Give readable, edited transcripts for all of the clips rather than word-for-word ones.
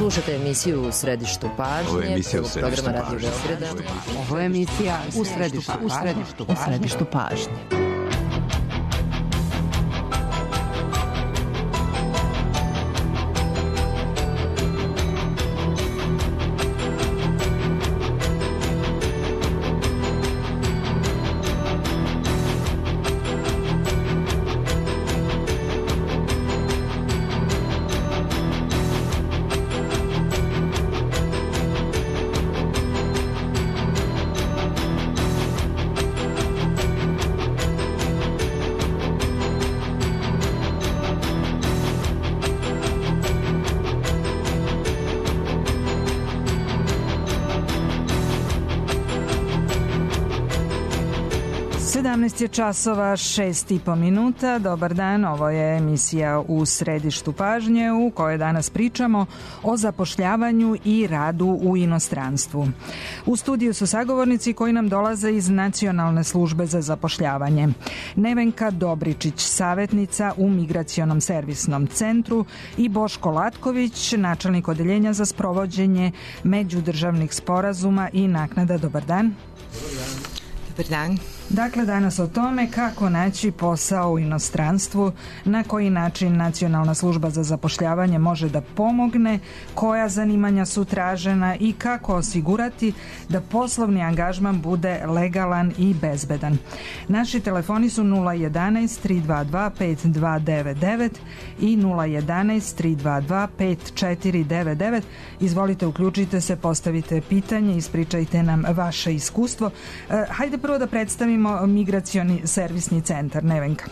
Slušate emisiju U središtu pažnje. Ovo je emisija U programa Radio Beograda. Ovo je emisija U središtu pažnje. Je časova 6,5 minuta. Dobar dan, ovo je emisija U središtu pažnje u kojoj danas pričamo o zapošljavanju i radu u inostranstvu. U studiju su sagovornici koji nam dolaze iz Nacionalne službe za zapošljavanje. Nevenka Dobričić, savjetnica u Migracionom servisnom centru, i Boško Latković, načelnik odeljenja za sprovođenje međudržavnih sporazuma i naknada. Dobar dan. Dobar dan. Dakle, danas o tome kako naći posao u inostranstvu, na koji način Nacionalna služba za zapošljavanje može da pomogne, koja zanimanja su tražena i kako osigurati da poslovni angažman bude legalan i bezbedan. Naši telefoni su 011 322 5299 i 011 322 5499. Izvolite, uključite se, postavite pitanje, ispričajte nam vaše iskustvo. Hajde prvo da predstavimo Migracioni servisni centar. Nevenka.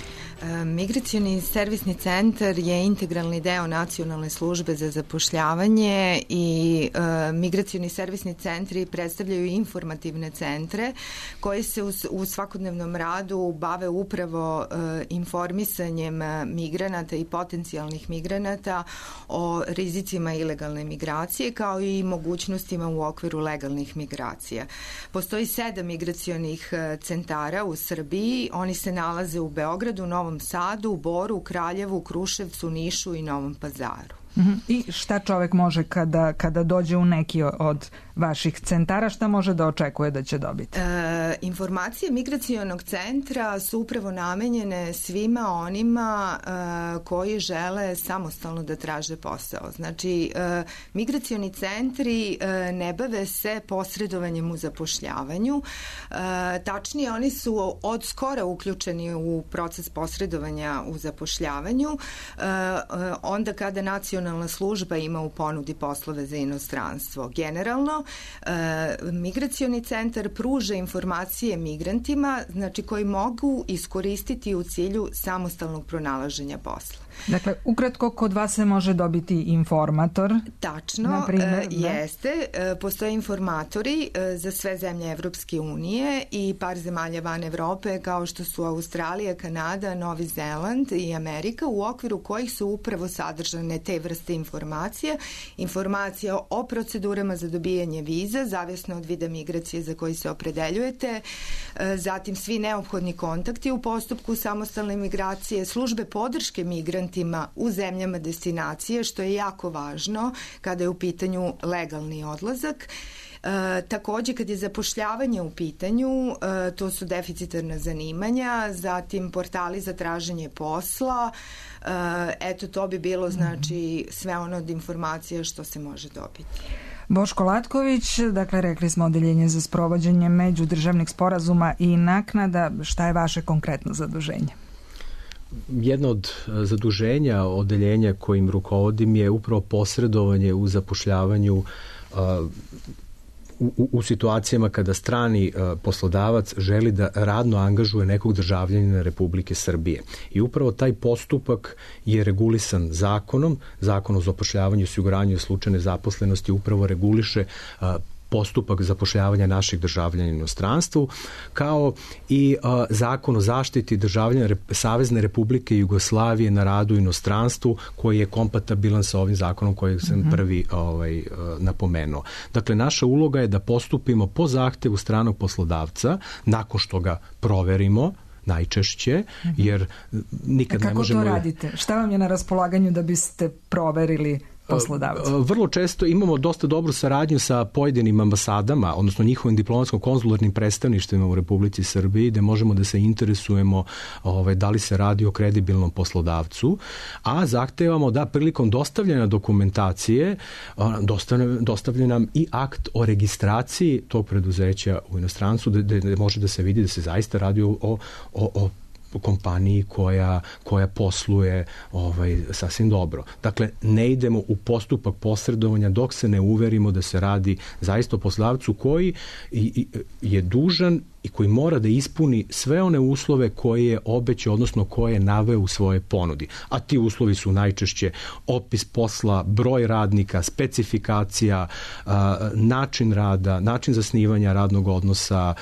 Migracioni servisni centar je integralni deo Nacionalne službe za zapošljavanje i migracioni servisni centri predstavljaju informativne centre koji se u svakodnevnom radu bave upravo informisanjem migranata i potencijalnih migranata o rizicima ilegalne migracije kao i mogućnostima u okviru legalnih migracija. Postoji 7 migracionih centara u Srbiji. Oni se nalaze u Beogradu, Novom Sadu, Boru, Kraljevu, Kruševcu, Nišu i Novom Pazaru. I šta čovek može kada dođe u neki od vaših centara, šta može da očekuje da će dobiti? Informacije migracionog centra su upravo namenjene svima onima koji žele samostalno da traže posao. Znači, migracioni centri ne bave se posredovanjem u zapošljavanju. Tačnije, oni su od skora uključeni u proces posredovanja u zapošljavanju. Onda kada Nacionalna služba ima u ponudi poslove za inostranstvo. Generalno, migracioni centar pruža informacije migrantima, znači koji mogu iskoristiti u cilju samostalnog pronalaženja posla. Dakle, ukratko, kod vas se može dobiti informator. Tačno, jeste. Postoje informatori za sve zemlje Evropske unije i par zemalja van Evrope kao što su Australija, Kanada, Novi Zeland i Amerika, u okviru kojih su upravo sadržane te vrste informacija. Informacija o procedurama za dobijanje viza, zavisno od vida migracije za koji se opredeljujete, zatim svi neophodni kontakti u postupku samostalne migracije, službe podrške migrantima u zemljama destinacije, što je jako važno kada je u pitanju legalni odlazak. Takođe, kad je zapošljavanje u pitanju, to su deficitarna zanimanja, zatim portali za traženje posla, eto to bi bilo znači sve ono od informacija što se može dobiti. Boško Latković, dakle rekli smo odeljenje za sprovođenje međudržavnih sporazuma i naknada, šta je vaše konkretno zaduženje? Jedno od zaduženja odeljenja kojim rukovodim je upravo posredovanje u zapošljavanju u situacijama kada strani poslodavac želi da radno angažuje nekog državljanina Republike Srbije. I upravo taj postupak je regulisan zakonom. Zakon o zapošljavanju i osiguranju slučajne zaposlenosti upravo reguliše postupak zapošljavanja naših državljana u inostranstvu, kao i zakon o zaštiti državljana Savezne Republike Jugoslavije na radu u inostranstvu, koji je kompatibilan sa ovim zakonom koji sam prvi napomenuo. Dakle, naša uloga je da postupimo po zahtevu stranog poslodavca, nakon što ga proverimo, najčešće, jer nikad ne možemo... Kako to radite? Šta vam je na raspolaganju da biste proverili poslodavca? Vrlo često imamo dosta dobru saradnju sa pojedinim ambasadama, odnosno njihovim diplomatsko-konzularnim predstavništvima u Republici Srbiji, gde možemo da se interesujemo da li se radi o kredibilnom poslodavcu, a zahtevamo da prilikom dostavljanja dokumentacije dostavlja nam i akt o registraciji tog preduzeća u inostranstvu, gde može da se vidi da se zaista radi o kompaniji koja posluje sasvim dobro. Dakle, ne idemo u postupak posredovanja dok se ne uverimo da se radi zaista o poslodavcu koji je dužan i koji mora da ispuni sve one uslove koje je obećao, odnosno koje je naveo u svoje ponudi. A ti uslovi su najčešće opis posla, broj radnika, specifikacija, način rada, način zasnivanja radnog odnosa,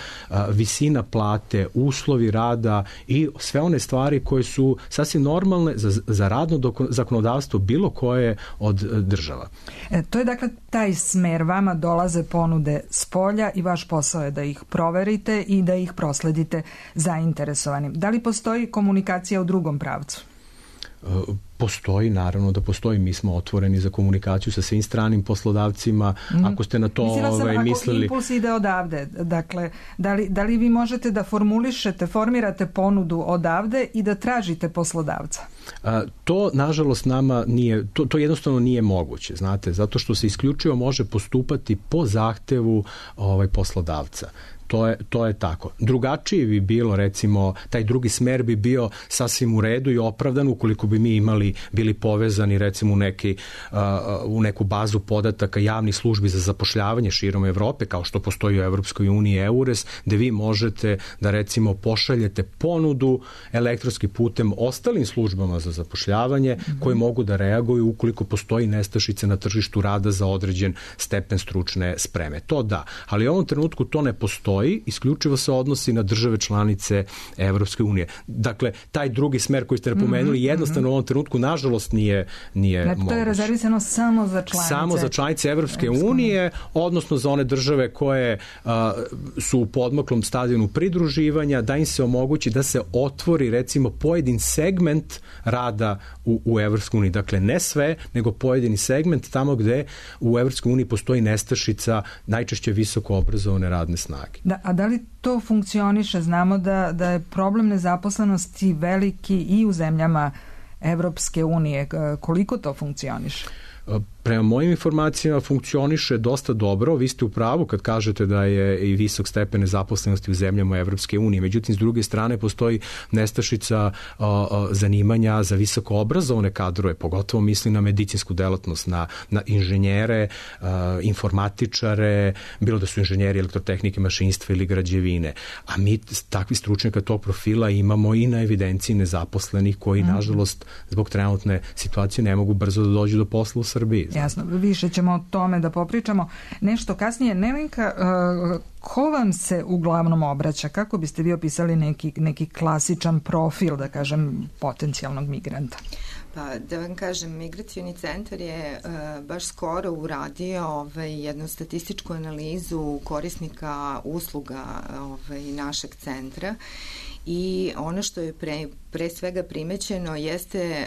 visina plate, uslovi rada i sve one stvari koje su sasvim normalne za radno zakonodavstvo bilo koje od država. To je dakle taj smer, vama dolaze ponude s polja i vaš posao je da ih proverite i da ih prosledite zainteresovanim. Da li postoji komunikacija u drugom pravcu? Postoji, naravno da postoji. Mi smo otvoreni za komunikaciju sa svim stranim poslodavcima. Ako ste na to mislili... Ako impuls ide odavde, dakle, da li vi možete da formirate ponudu odavde i da tražite poslodavca? To, nažalost, nama nije, to jednostavno nije moguće, znate, zato što se isključivo može postupati po zahtevu poslodavca. To je tako. Drugačije bi bilo, recimo, taj drugi smer bi bio sasvim u redu i opravdan ukoliko bi mi bili povezani, recimo, u neku bazu podataka javnih službi za zapošljavanje širom Evrope, kao što postoji u Evropskoj uniji EURES, gde vi možete da, recimo, pošaljete ponudu elektronskim putem ostalim službama za zapošljavanje koje mogu da reaguju ukoliko postoji nestašica na tržištu rada za određen stepen stručne spreme. To da, ali u ovom trenutku to ne postoji, isključivo se odnosi na države članice Evropske unije. Dakle, taj drugi smer koji ste napomenuli jednostavno u ovom trenutku nažalost nije moguće. To je rezervisano samo za članice. Samo za članice Evropske unije, odnosno za one države koje su u podmaklom stadijunu pridruživanja, da im se omogući da se otvori, recimo, pojedin segment rada u Evropskoj uniji. Dakle, ne sve, nego pojedini segment tamo gde u Evropskoj uniji postoji nestašica najčešće visoko obrazovane radne snage. A da li to funkcioniše? Znamo da je problem nezaposlenosti veliki i u zemljama Evropske unije. Koliko to funkcioniše? Prema mojim informacijama funkcioniše dosta dobro. Vi ste u pravu kad kažete da je i visok stepen nezaposlenosti u zemljama Evropske unije. Međutim, s druge strane postoji nestašica zanimanja za visoko obrazovane kadrove, pogotovo mislim na medicinsku delatnost, na inženjere, informatičare, bilo da su inženjeri elektrotehnike, mašinstva ili građevine. A mi takvi stručnjaka tog profila imamo i na evidenciji nezaposlenih koji, nažalost, zbog trenutne situacije ne mogu brzo da dođu do posla u Srbiji. Jasno, više ćemo o tome da popričamo nešto kasnije. Nevenka, ko vam se uglavnom obraća? Kako biste vi opisali neki klasičan profil, da kažem, potencijalnog migranta? Pa da vam kažem, Migracioni centar je baš skoro uradio jednu statističku analizu korisnika usluga našeg centra i ono što je pre svega primećeno jeste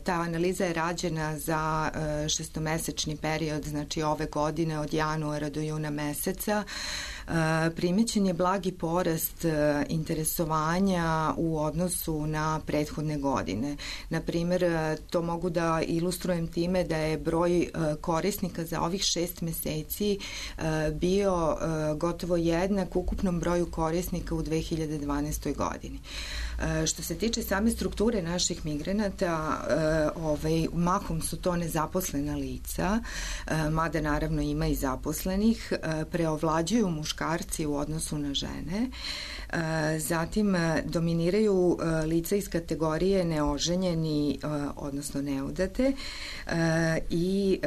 ta analiza je rađena za šestomesečni period, znači ove godine od januara do juna meseca. Primećen je blagi porast interesovanja u odnosu na prethodne godine. Naprimer, to mogu da ilustrujem time da je broj korisnika za ovih 6 meseci bio gotovo jednak ukupnom broju korisnika u 2012. godini. Što se tiče same strukture naših migranata, mahom su to nezaposlena lica, mada naravno ima i zaposlenih, preovlađuju muškarci u odnosu na žene, zatim dominiraju lica iz kategorije neoženjeni, odnosno neudate, i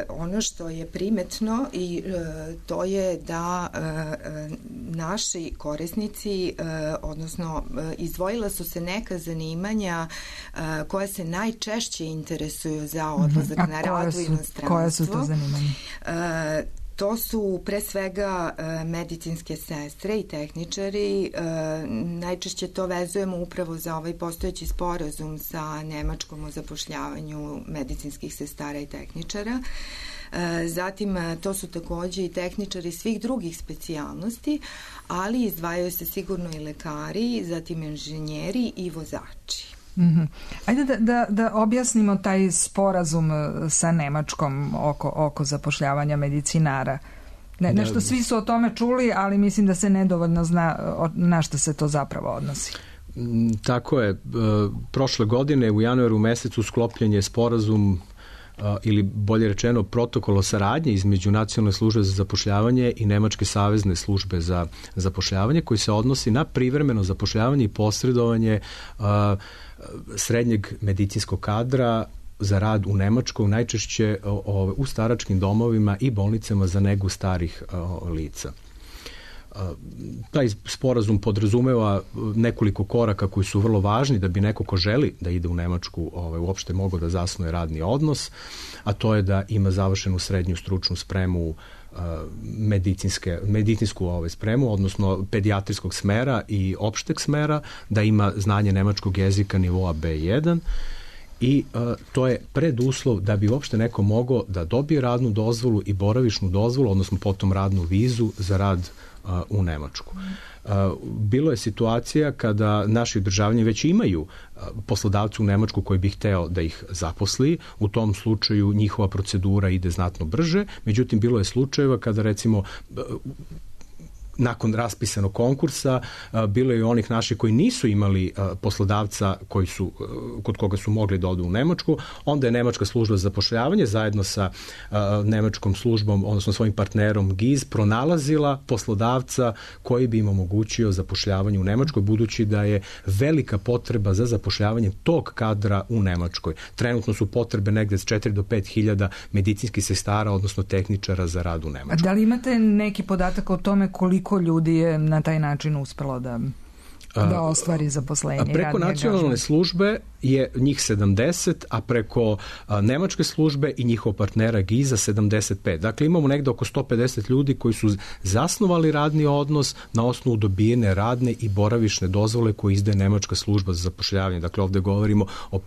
ono što je primetno i to je da naši korisnici, odnosno izdvojila su se neka zanimanja koja se najčešće interesuju za odlazak na rad u inostranstvo. Koja su to zanimanja? To su pre svega medicinske sestre i tehničari. Najčešće to vezujemo upravo za ovaj postojeći sporazum sa Nemačkom o zapošljavanju medicinskih sestara i tehničara. Zatim, to su takođe i tehničari svih drugih specijalnosti, ali izdvajaju se sigurno i lekari, zatim inženjeri i vozači. Ajde da objasnimo taj sporazum sa Nemačkom oko zapošljavanja medicinara. Nešto svi su o tome čuli, ali mislim da se nedovoljno zna na što se to zapravo odnosi. Tako je. Prošle godine u januaru mesecu sklopljen je sporazum ili bolje rečeno protokol o saradnji između Nacionalne službe za zapošljavanje i Nemačke savezne službe za zapošljavanje koji se odnosi na privremeno zapošljavanje i posredovanje srednjeg medicinskog kadra za rad u Nemačkoj, najčešće u staračkim domovima i bolnicama za negu starih lica. Taj sporazum podrazumeva nekoliko koraka koji su vrlo važni da bi neko ko želi da ide u Nemačku uopšte mogao da zasnuje radni odnos, a to je da ima završenu srednju stručnu spremu medicinsku spremu, odnosno pedijatrijskog smera i opšteg smera, da ima znanje nemačkog jezika nivoa B1 i to je preduslov da bi uopšte neko mogao da dobije radnu dozvolu i boravišnu dozvolu, odnosno potom radnu vizu za rad u Nemačku. Bilo je situacija kada naši državljani već imaju poslodavcu u Nemačku koji bi hteo da ih zaposli, u tom slučaju njihova procedura ide znatno brže, međutim bilo je slučajeva kada recimo nakon raspisanog konkursa bilo je i onih naših koji nisu imali poslodavca kod koga su mogli da odu u Nemačku, onda je Nemačka služba za zapošljavanje zajedno sa nemačkom službom, odnosno svojim partnerom GIZ, pronalazila poslodavca koji bi im omogućio zapošljavanje u Nemačkoj, budući da je velika potreba za zapošljavanje tog kadra u Nemačkoj. Trenutno su potrebe negde s 4 do 5 hiljada medicinskih sestara, odnosno tehničara za rad u Nemačkoj. Da li imate neki podatak o tome koliko ljudi je na taj način uspelo da ostvari zaposlenje? Preko nacionalne službe je njih 70, a preko nemačke službe i njihov partnera GIZ-a 75. Dakle, imamo negde oko 150 ljudi koji su zasnovali radni odnos na osnovu dobijene radne i boravišne dozvole koje izdaje Nemačka služba za zapošljavanje. Dakle, ovde govorimo o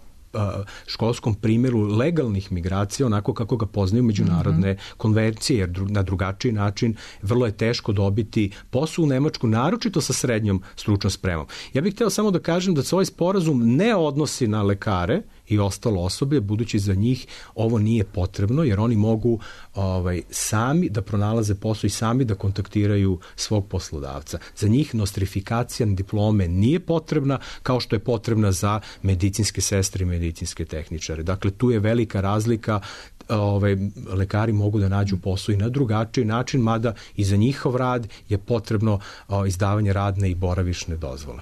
školskom primjeru legalnih migracija, onako kako ga poznaju međunarodne konvencije, jer na drugačiji način vrlo je teško dobiti posao u Nemačku, naročito sa srednjom stručnom spremom. Ja bih hteo samo da kažem da se ovaj sporazum ne odnosi na lekare i ostalo osoblje, budući za njih ovo nije potrebno, jer oni mogu sami da pronalaze posao i sami da kontaktiraju svog poslodavca. Za njih nostrifikacija diplome nije potrebna, kao što je potrebna za medicinske sestre i medicinske tehničare. Dakle, tu je velika razlika. Lekari mogu da nađu posao i na drugačiji način, mada i za njihov rad je potrebno izdavanje radne i boravišne dozvole.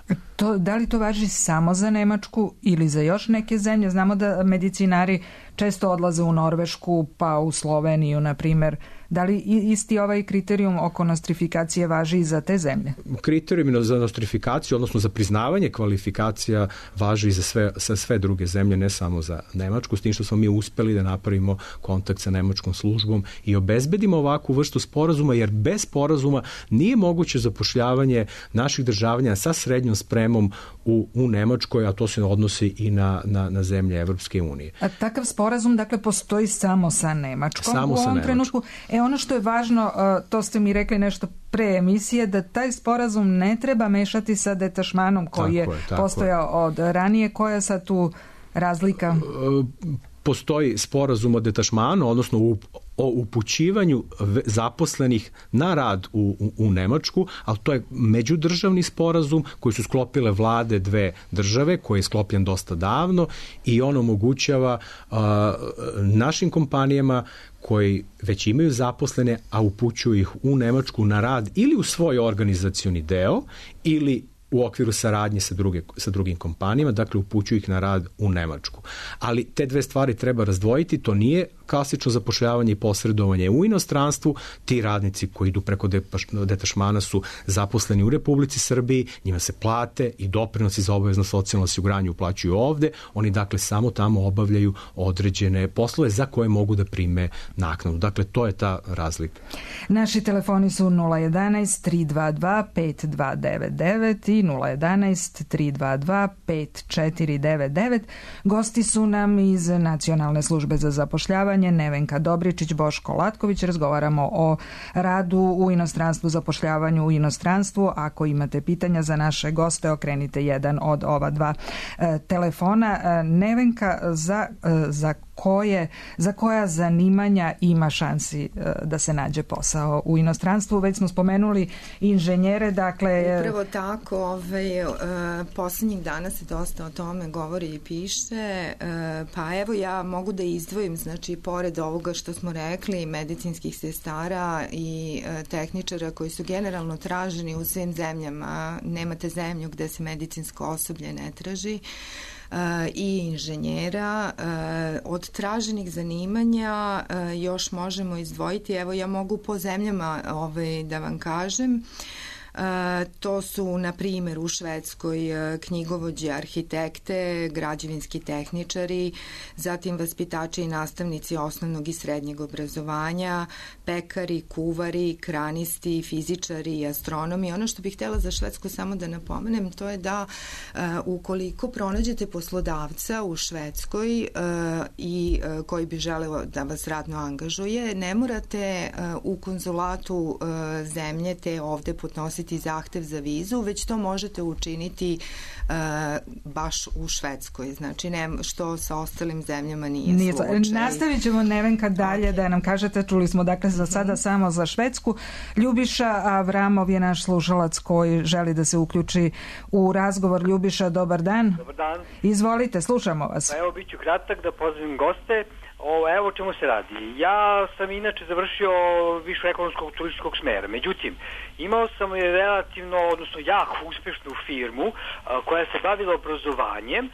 Da li to važi samo za Nemačku ili za još neke zemlje? Znamo da medicinari često odlaze u Norvešku, pa u Sloveniju, na primer. Da li isti ovaj kriterijum oko nostrifikacije važi i za te zemlje? Kriterijum za nostrifikaciju, odnosno za priznavanje kvalifikacija, važi i za sve druge zemlje, ne samo za Nemačku, s tim što smo mi uspeli da napravimo kontakt sa nemačkom službom i obezbedimo ovakvu vrstu sporazuma, jer bez sporazuma nije moguće zapošljavanje naših državljana sa srednjom spremom u Nemačkoj, a to se odnosi i na zemlje Evropske unije. A takav sporazum, dakle, postoji samo sa Nemačkom samo u ovom trenutku? Ono što je važno, to ste mi rekli nešto pre emisije, da taj sporazum ne treba mešati sa detašmanom koji je postojao od ranije. Koja je sad tu razlika? Postoji sporazum o detašmanu, odnosno o upućivanju zaposlenih na rad u Nemačku, ali to je međudržavni sporazum koji su sklopile vlade dve države, koji je sklopljen dosta davno i on omogućava našim kompanijama koji već imaju zaposlene, a upućuju ih u Nemačku na rad ili u svoj organizacioni deo ili u okviru saradnje sa drugim kompanijama, dakle upućuju ih na rad u Nemačku. Ali te dve stvari treba razdvojiti, to nije klasično zapošljavanje i posredovanje u inostranstvu, ti radnici koji idu preko detašmana su zaposleni u Republici Srbiji, njima se plate i doprinosi za obavezno socijalno osiguranje uplaćuju ovde, oni dakle samo tamo obavljaju određene poslove za koje mogu da prime naknadu. Dakle, to je ta razlika. Naši telefoni su 011-322-5299 i 011-322-5499. Gosti su nam iz Nacionalne službe za zapošljavanje Nevenka Dobričić, Boško Latković. Razgovaramo o radu u inostranstvu, zapošljavanju u inostranstvu. Ako imate pitanja za naše goste, okrenite jedan od ova dva telefona. Nevenka, za koja zanimanja ima šansi da se nađe posao u inostranstvu? Već smo spomenuli inženjere, dakle... Upravo tako, poslednjih dana se dosta o tome govori i piše, pa evo ja mogu da izdvojim, znači pored ovoga što smo rekli, medicinskih sestara i tehničara koji su generalno traženi u svim zemljama, nemate zemlju gde se medicinsko osoblje ne traži, i inženjera. Od traženih zanimanja još možemo izdvojiti, evo ja mogu po zemljama da vam kažem, to su na primjer u Švedskoj knjigovođe, arhitekte, građevinski tehničari, zatim vaspitači i nastavnici osnovnog i srednjeg obrazovanja, pekari, kuvari, kranisti, fizičari i astronomi. Ono što bih htjela za Švedsku samo da napomenem, to je da ukoliko pronađete poslodavca u Švedskoj i koji bi želeo da vas radno angažuje, ne morate u konzulatu zemlje te ovde podnositi zahtev za vizu, već to možete učiniti baš u Švedskoj. Znači, što sa ostalim zemljama nije slučaj. Nastavit ćemo, Nevenka, dalje da nam kažete, čuli smo dakle za sada samo za Švedsku. Ljubiša Avramov je naš slušalac koji želi da se uključi u razgovor. Ljubiša, dobar dan. Dobar dan. Izvolite, slušamo vas. Pa evo, bit ću kratak da pozdravim goste. Evo o čemu se radi. Ja sam inače završio višu ekonomskog turističkog smera. Međutim, imao sam relativno, odnosno jako uspešnu firmu koja se bavila obrazovanjem,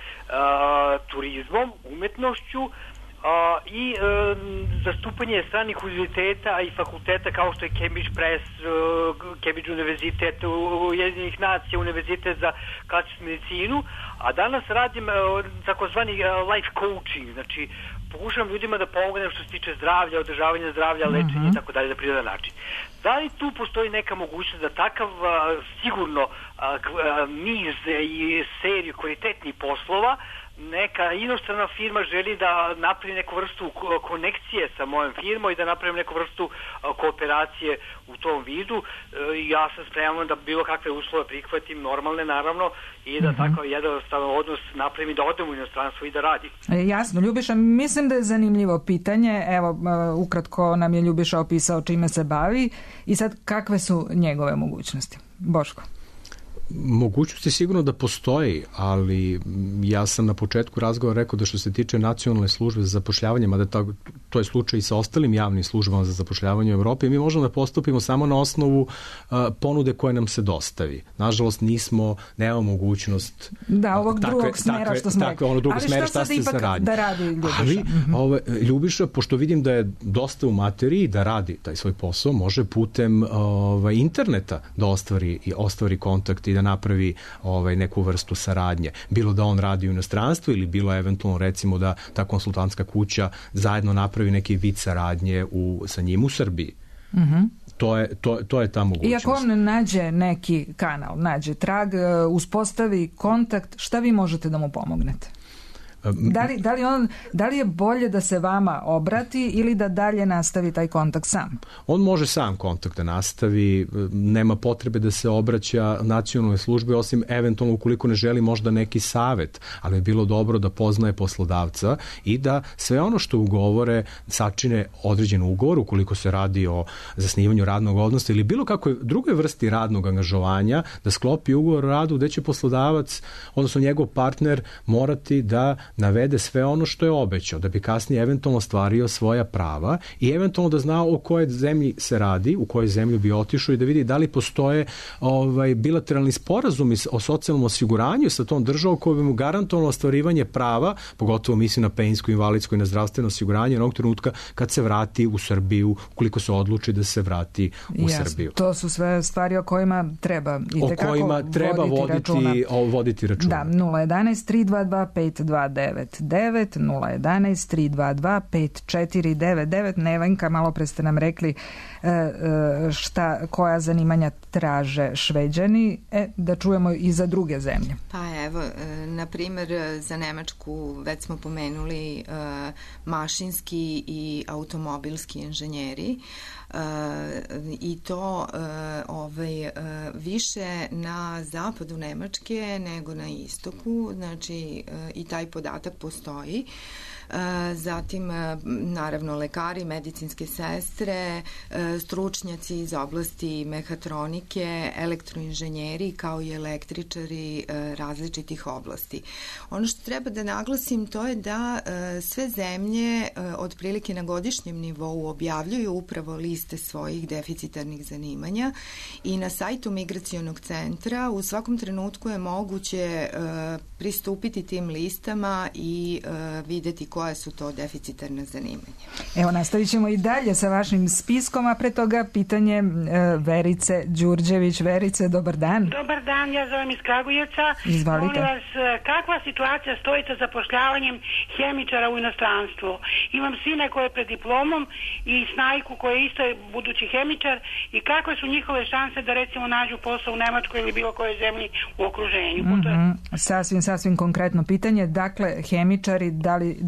turizmom, umetnošću i zastupanje stranih univerziteta i fakulteta kao što je Cambridge Press, Cambridge univerzitet, Ujedinjenih nacija, univerzitet za klasičnu medicinu, a danas radim takozvani life coaching, znači pokušavam ljudima da pomognem što se tiče zdravlja, održavanja zdravlja, lečenja i tako dalje na prirodan način. Da li tu postoji neka mogućnost da takav sigurno niz i seriju kvalitetnih poslova neka inostrana firma želi da napravi neku vrstu konekcije sa mojom firmom i da napravim neku vrstu kooperacije u tom vidu, ja sam spreman da bilo kakve uslove prihvatim, normalne naravno, i da tako jednostavan odnos napravim i da odem u inostranstvo i da radim. Jasno, Ljubiša, mislim da je zanimljivo pitanje. Evo, ukratko nam je Ljubiša opisao čime se bavi i sad kakve su njegove mogućnosti? Boško. Mogućnosti sigurno da postoji, ali ja sam na početku razgovora rekao da što se tiče Nacionalne službe za zapošljavanje, mada to je slučaj i sa ostalim javnim službama za zapošljavanje u Evropi, mi možemo da postupimo samo na osnovu ponude koje nam se dostavi. Nažalost, nemamo mogućnost ovog drugog smera što smo rekli. Ali šta sad ipak da radi Ljubiša? Ali Ljubiša, pošto vidim da je dosta u materiji da radi taj svoj posao, može putem interneta da ostvari kontakt i da napravi neku vrstu saradnje. Bilo da on radi u inostranstvu ili bilo eventualno recimo da ta konsultantska kuća zajedno napravi neki vid saradnje sa njim u Srbiji. To je ta mogućnost. I ako on nađe neki kanal, nađe trag, uspostavi kontakt, šta vi možete da mu pomognete? Da li je bolje da se vama obrati ili da dalje nastavi taj kontakt sam? On može sam kontakt da nastavi, nema potrebe da se obraća nacionalnoj službi, osim eventualno ukoliko ne želi možda neki savet, ali je bilo dobro da poznaje poslodavca i da sve ono što ugovore sačine određen ugovor, ukoliko se radi o zasnivanju radnog odnosa ili bilo kakvoj drugoj vrsti radnog angažovanja, da sklopi ugovor o radu gde će poslodavac, odnosno njegov partner, morati da navede sve ono što je obećao, da bi kasnije eventualno ostvario svoja prava i eventualno da zna o kojoj zemlji se radi, u kojoj zemlji bi otišao i da vidi da li postoje bilateralni sporazumi o socijalnom osiguranju sa tom državom koja bi mu garantovalo ostvarivanje prava, pogotovo mislim na penzijsko, invalidsko i na zdravstveno osiguranje onog trenutka kad se vrati u Srbiju, ukoliko se odluči da se vrati u Srbiju. To su sve stvari o kojima treba voditi računa. Da, 011-322-5299, 011-322-5499. Nevenka, malo pre ste nam rekli koja zanimanja traže Šveđani, da čujemo i za druge zemlje. Pa evo, na primjer, za Nemačku već smo pomenuli mašinski i automobilski inženjeri, i to više na zapadu Nemačke nego na istoku, znači i taj podatak postoji. Zatim naravno lekari, medicinske sestre, stručnjaci iz oblasti mehatronike, elektroinženjeri kao i električari različitih oblasti. Ono što treba da naglasim to je da sve zemlje otprilike na godišnjem nivou objavljuju upravo liste svojih deficitarnih zanimanja i na sajtu Migracionog centra u svakom trenutku je moguće pristupiti tim listama i videti koja su to deficitarna zanimanja. Evo, nastavit ćemo i dalje sa vašim spiskom, a pre toga pitanje Verice Đurđević. Verice, dobar dan. Dobar dan, ja zovem iz Kragujevca. Izvolite. Molim vas, kakva situacija stoji sa zapošljavanjem hemičara u inostranstvu? Imam sine koje je pred diplomom i snajku koja je isto budući hemičar i kakve su njihove šanse da recimo nađu posao u Nemačkoj ili bilo kojoj zemlji u okruženju? Sasvim konkretno pitanje. Dakle, hemičari,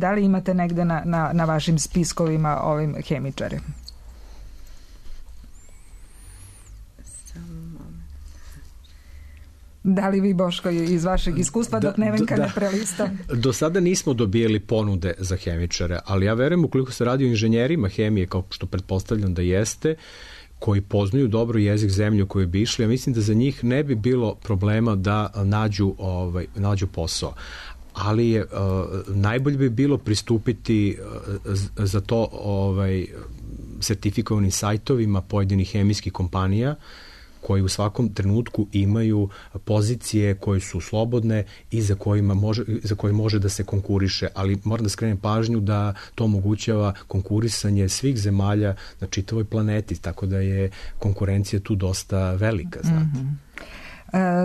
da li imate negde na vašim spiskovima ovim hemičare? Da li vi, Boško, iz vašeg iskustva dok Nevenka ne prelista? Do sada nismo dobijeli ponude za hemičare, ali ja verujem ukoliko se radi o inženjerima hemije, kao što pretpostavljam da jeste, koji poznaju dobro jezik zemlje u kojoj bi išli, ja mislim da za njih ne bi bilo problema da nađu posao. Ali je najbolje bi bilo pristupiti za to sertifikovanim sajtovima pojedinih hemijskih kompanija koji u svakom trenutku imaju pozicije koje su slobodne i za koje može da se konkuriše, ali moram da skrenem pažnju da to omogućava konkurisanje svih zemalja na čitavoj planeti, tako da je konkurencija tu dosta velika, znate.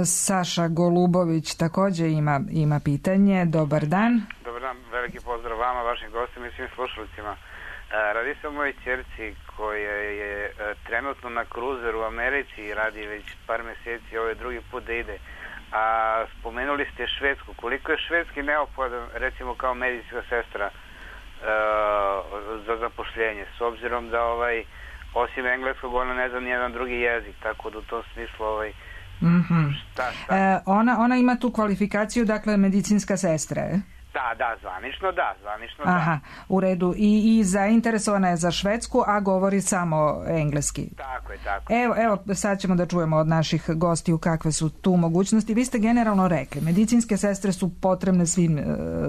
Saša Golubović također ima pitanje. Dobar dan. Dobar dan, veliki pozdrav vama, vašim gostima i svim slušalicima. Radi se o mojoj ćerci koja je trenutno na kruzeru u Americi i radi već par meseci, ovo je drugi put da ide. A spomenuli ste Švedsku. Koliko je švedski neophodan, recimo kao medicinska sestra, za zapošljenje, s obzirom da osim engleskog ona ne zna nijedan drugi jezik, tako da u tom smislu šta? Ona ima tu kvalifikaciju, dakle medicinska sestra, je? Zvanično da. Aha, u redu. I zainteresovana je za Švedsku, a govori samo engleski. Tako je. Evo, sad ćemo da čujemo od naših gostiju kakve su tu mogućnosti. Vi ste generalno rekli, medicinske sestre su potrebne svim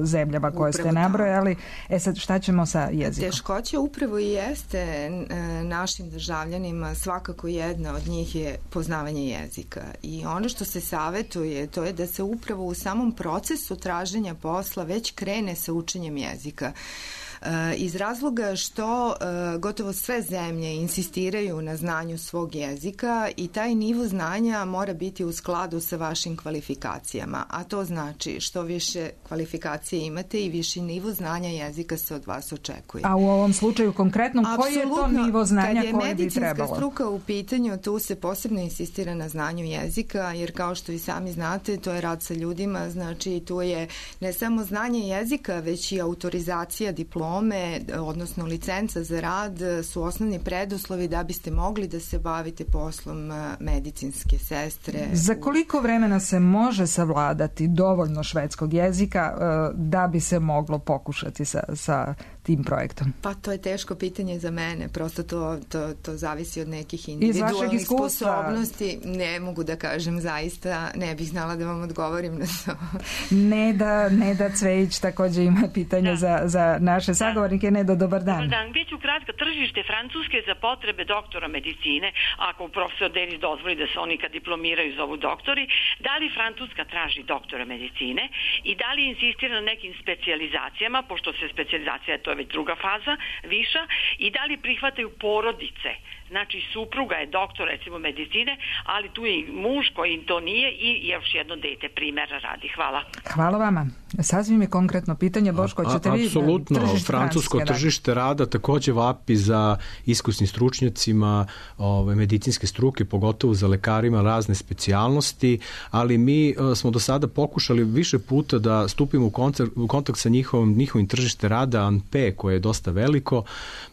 zemljama koje ste nabrojali. Sad šta ćemo sa jezikom? Teškoća upravo i jeste našim državljanima, svakako jedna od njih je poznavanje jezika. I ono što se savetuje, to je da se upravo u samom procesu traženja posla već krene sa učenjem jezika. Iz razloga što gotovo sve zemlje insistiraju na znanju svog jezika i taj nivo znanja mora biti u skladu sa vašim kvalifikacijama, a to znači što više kvalifikacije imate i viši nivo znanja jezika se od vas očekuje. A u ovom slučaju konkretno koji je to nivo znanja koje bi trebalo? Kad je medicinska struka u pitanju, tu se posebno insistira na znanju jezika, jer kao što i sami znate, to je rad sa ljudima, znači tu je ne samo znanje jezika, već i autorizacija diplome, odnosno licenca za rad su osnovni preduslovi da biste mogli da se bavite poslom medicinske sestre. Za koliko vremena se može savladati dovoljno švedskog jezika da bi se moglo pokušati sa tim projektom? Pa to je teško pitanje za mene, prosto to zavisi od nekih individualnih sposobnosti. Ne mogu da kažem, zaista ne bih znala da vam odgovorim na to. Neda Cvejić takođe ima pitanje za naše sagovornike. Neda, dobar dan. Dobar dan, bit ću kratko. Tržište Francuske za potrebe doktora medicine, ako profesor Denis dozvoli da se oni kad diplomiraju zovu doktori, da li Francuska traži doktora medicine i da li insistira na nekim specijalizacijama, pošto se specijalizacija, to je već druga faza, viša, i da li prihvataju porodice. Znači, supruga je doktor, recimo, medicine, ali tu je i muž koji to nije i još jedno dete primjera radi. Hvala. Hvala vama. Sasvim je konkretno pitanje, Boško, ćete vi... Apsolutno, francusko tržište rada takođe vapi za iskusnim stručnjacima medicinske struke, pogotovo za lekarima razne specijalnosti, ali mi smo do sada pokušali više puta da stupimo u kontakt sa njihovim tržište rada ANP, koje je dosta veliko,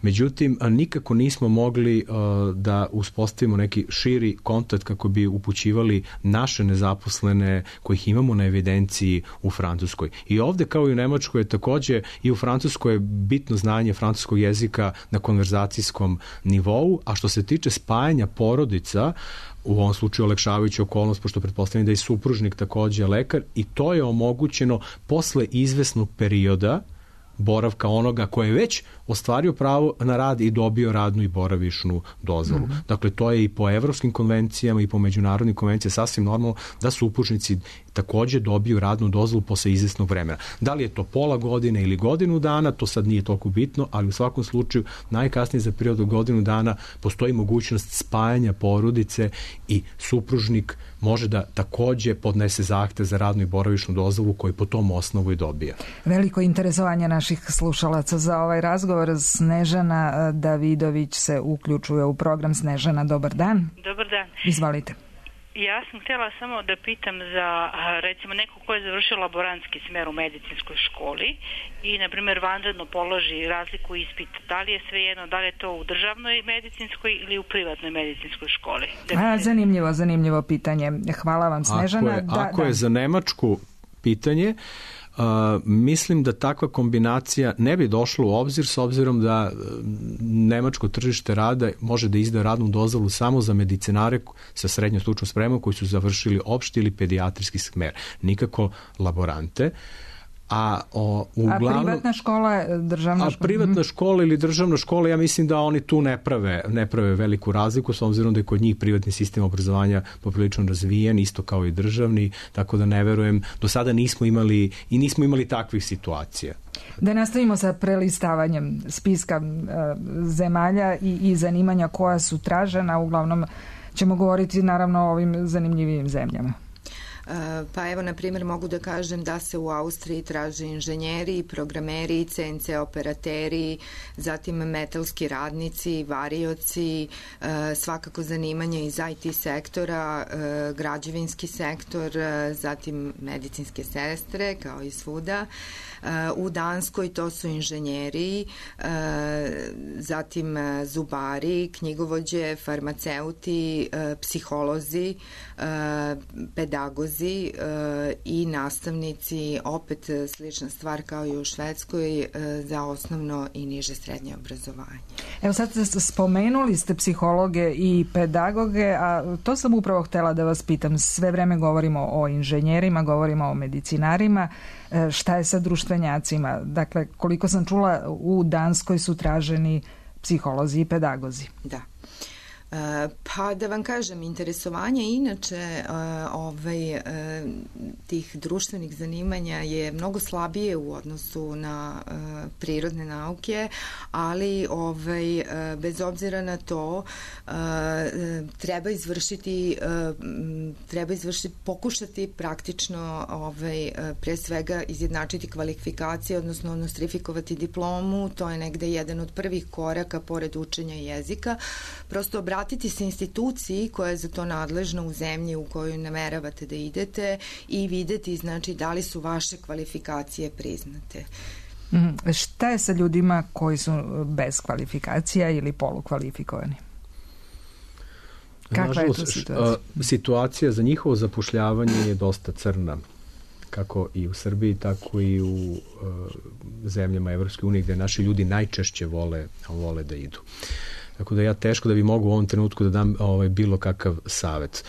međutim, nikako nismo mogli da uspostavimo neki širi kontakt kako bi upućivali naše nezaposlene kojih imamo na evidenciji u Francuskoj. I ovde, kao i u Nemačkoj, je takođe i u Francuskoj je bitno znanje francuskog jezika na konverzacijskom nivou, a što se tiče spajanja porodica, u ovom slučaju olakšavajuća okolnost, pošto pretpostavljam da je supružnik takođe lekar, i to je omogućeno posle izvesnog perioda boravka onoga koji je već ostvario pravo na rad i dobio radnu i boravišnu dozvolu. Dakle, to je i po evropskim konvencijama i po međunarodnim konvencijama sasvim normalno da supružnici takođe dobiju radnu dozvolu posle izvesnog vremena. Da li je to pola godine ili godinu dana, to sad nije toliko bitno, ali u svakom slučaju najkasnije za period od godinu dana postoji mogućnost spajanja porodice i supružnik može da takođe podnese zahtev za radnu i boravišnu dozvolu koji po tom osnovu i dobija. Veliko interesovanje naših slušalaca za ovaj razgovor. Snežana Davidović se uključuje u program. Snežana, dobar dan. Dobar dan. Izvolite. Ja sam htjela samo da pitam za, recimo, neko ko je završio laborantski smer u medicinskoj školi i, na primjer, vanredno položi razliku ispita. Da li je svejedno, da li je to u državnoj medicinskoj ili u privatnoj medicinskoj školi? Zanimljivo pitanje. Hvala vam, Snežana. Ako je za Nemačku pitanje, mislim da takva kombinacija ne bi došla u obzir, s obzirom da nemačko tržište rada može da izda radnu dozvolu samo za medicinare sa srednjom stručnom spremom koji su završili opšti ili pedijatrijski smer, nikako laborante. A privatna škola je državna škola? Privatna škola ili državna škola, ja mislim da oni tu ne prave veliku razliku, s obzirom da je kod njih privatni sistem obrazovanja poprilično razvijen, isto kao i državni, tako da ne verujem, do sada nismo imali takvih situacija. Da nastavimo sa prelistavanjem spiska zemalja i zanimanja koja su tražena, uglavnom ćemo govoriti naravno o ovim zanimljivim zemljama. Pa evo, na primjer, mogu da kažem da se u Austriji traže inženjeri, programeri, CNC operateri, zatim metalski radnici, varioci, svakako zanimanje iz IT sektora, građevinski sektor, zatim medicinske sestre, kao i svuda. U Danskoj to su inženjeri, zatim zubari, knjigovođe, farmaceuti, psiholozi, pedagozi i nastavnici, opet slična stvar kao i u Švedskoj, za osnovno i niže srednje obrazovanje. Evo sad spomenuli ste psihologe i pedagoge, a to sam upravo htjela da vas pitam. Sve vreme govorimo o inženjerima, govorimo o medicinarima. Šta je sa društvenjacima? Dakle, koliko sam čula, u Danskoj su traženi psiholozi i pedagozi. Da. Pa da vam kažem, interesovanje inače tih društvenih zanimanja je mnogo slabije u odnosu na prirodne nauke, ali bez obzira na to treba pokušati praktično pre svega izjednačiti kvalifikacije, odnosno nostrifikovati diplomu. To je negde jedan od prvih koraka pored učenja jezika. Prosto obratiti se instituciji koja je za to nadležna u zemlji u koju nameravate da idete i videti, znači, da li su vaše kvalifikacije priznate. Šta je sa ljudima koji su bez kvalifikacija ili polukvalifikovani? Kakva je to situacija? Situacija za njihovo zapošljavanje je dosta crna. kako i u Srbiji, tako i u zemljama Evropske unije gde naši ljudi najčešće vole da idu. Tako da ja teško da bi mogu u ovom trenutku da dam bilo kakav savet.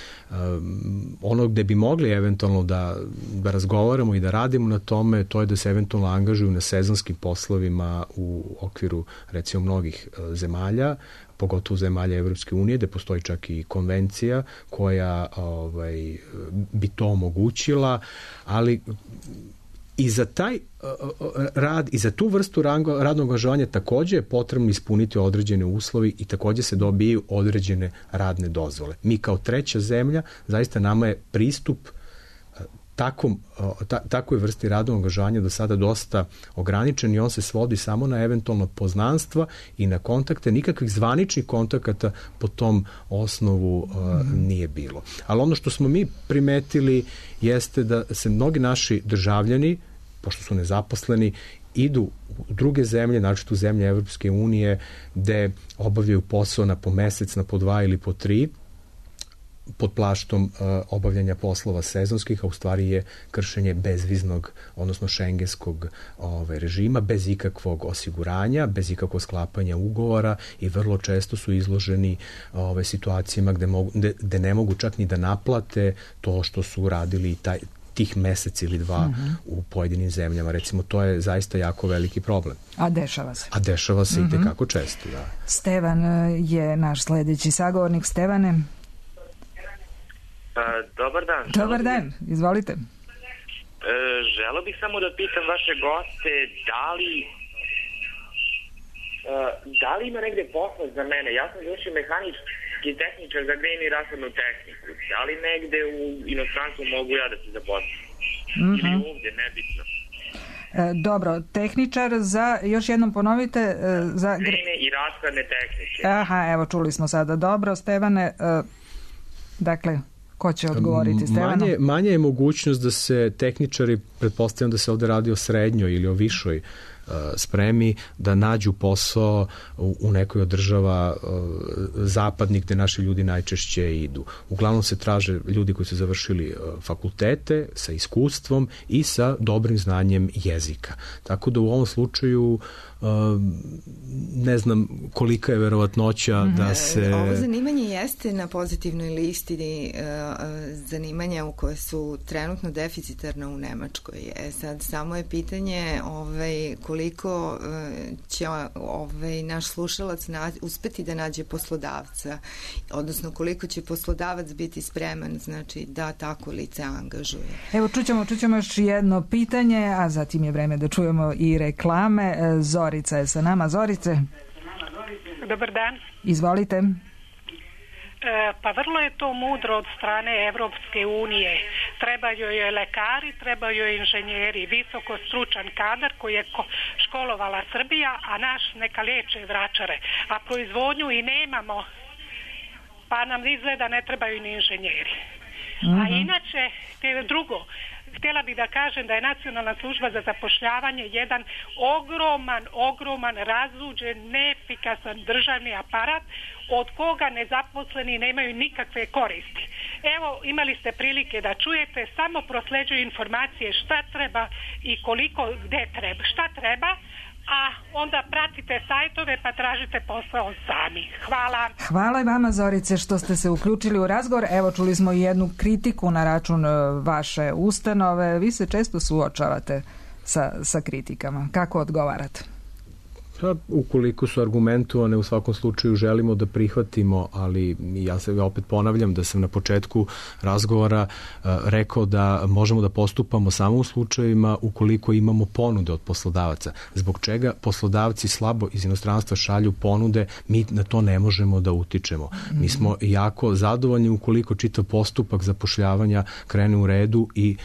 Ono gde bi mogli eventualno da razgovaramo i da radimo na tome, to je da se eventualno angažuju na sezonskim poslovima u okviru recimo mnogih zemalja, pogotovo zemalja Evropske unije, gde postoji čak i konvencija koja bi to omogućila, ali i za taj rad i za tu vrstu radnog angažovanja takođe je potrebno ispuniti određene uslovi i takođe se dobijaju određene radne dozvole. Mi kao treća zemlja, zaista nama je pristup takvoj vrsti radnog angažovanja do sada dosta ograničen i on se svodi samo na eventualno poznanstva i na kontakte. Nikakvih zvaničnih kontakata po tom osnovu nije bilo. Ali ono što smo mi primetili jeste da se mnogi naši državljani, pošto su nezaposleni, idu u druge zemlje, znači u zemlje Evropske unije, gde obavljaju posao na po mesec, na po 2 ili po 3, pod plaštom obavljanja poslova sezonskih, a u stvari je kršenje bezviznog, odnosno šengenskog režima, bez ikakvog osiguranja, bez ikakvog sklapanja ugovora i vrlo često su izloženi situacijama gde ne mogu čak ni da naplate to što su radili tih mesec ili 2 u pojedinim zemljama. Recimo, to je zaista jako veliki problem. A dešava se. A dešava se i tekako često, da. Stevan je naš sledeći sagovornik. Stevane. Dobar dan. Dobar dan, izvolite. Želeo bih samo da pitam vaše goste da li ima negde posla za mene. Ja sam završio mehanički tehničar za grejnu i rasadnu tehniku. Da li negde u inostranstvu mogu ja da se zaposlim? Ili ovde, nebitno. Dobro, tehničar za, još jednom ponovite, za grejne i rasadne tehnike. Aha, evo, čuli smo sada. Dobro, Stevane, dakle, ko će odgovoriti, Stevano? Manja je mogućnost da se tehničari, pretpostavljam da se ovde radi o srednjoj ili o višoj spremi, da nađu posao u nekoj od država zapadnih gde naši ljudi najčešće idu. Uglavnom se traže ljudi koji su završili fakultete sa iskustvom i sa dobrim znanjem jezika. Tako da u ovom slučaju ne znam kolika je verovatnoća da se... Ovo zanimanje jeste na pozitivnoj listi zanimanja u koje su trenutno deficitarna u Nemačkoj. Sad samo je pitanje koliko će naš slušalac uspeti da nađe poslodavca, odnosno koliko će poslodavac biti spreman, znači da tako lice angažuje. Evo, čućemo još jedno pitanje, a zatim je vreme da čujemo i reklame. Zorica je sa nama. Zorice. Dobar dan. Izvolite. Pa vrlo je to mudro od strane Evropske unije. Trebaju joj lekari, trebaju joj inženjeri, visoko stručan kadar koji je školovala Srbija, a naš neka liječe vračare. A proizvodnju i nemamo, pa nam izgleda ne trebaju ni inženjeri. A inače, drugo, htjela bih da kažem da je Nacionalna služba za zapošljavanje jedan ogroman, razuđen, neefikasan državni aparat od koga nezaposleni nemaju nikakve koristi. Evo, imali ste prilike da čujete, samo prosleđuju informacije šta treba i koliko, gde treba, šta treba, a onda pratite sajtove pa tražite posao sami. Hvala. Hvala i vama, Zorice, što ste se uključili u razgovor. Evo, čuli smo i jednu kritiku na račun vaše ustanove. Vi se često suočavate sa kritikama. Kako odgovarate? Ukoliko su argumentovane, u svakom slučaju želimo da prihvatimo, ali ja se opet ponavljam da sam na početku razgovora rekao da možemo da postupamo samo u slučajevima ukoliko imamo ponude od poslodavaca. Zbog čega poslodavci slabo iz inostranstva šalju ponude, mi na to ne možemo da utičemo. Mi smo jako zadovoljni ukoliko čitav postupak zapošljavanja krene u redu i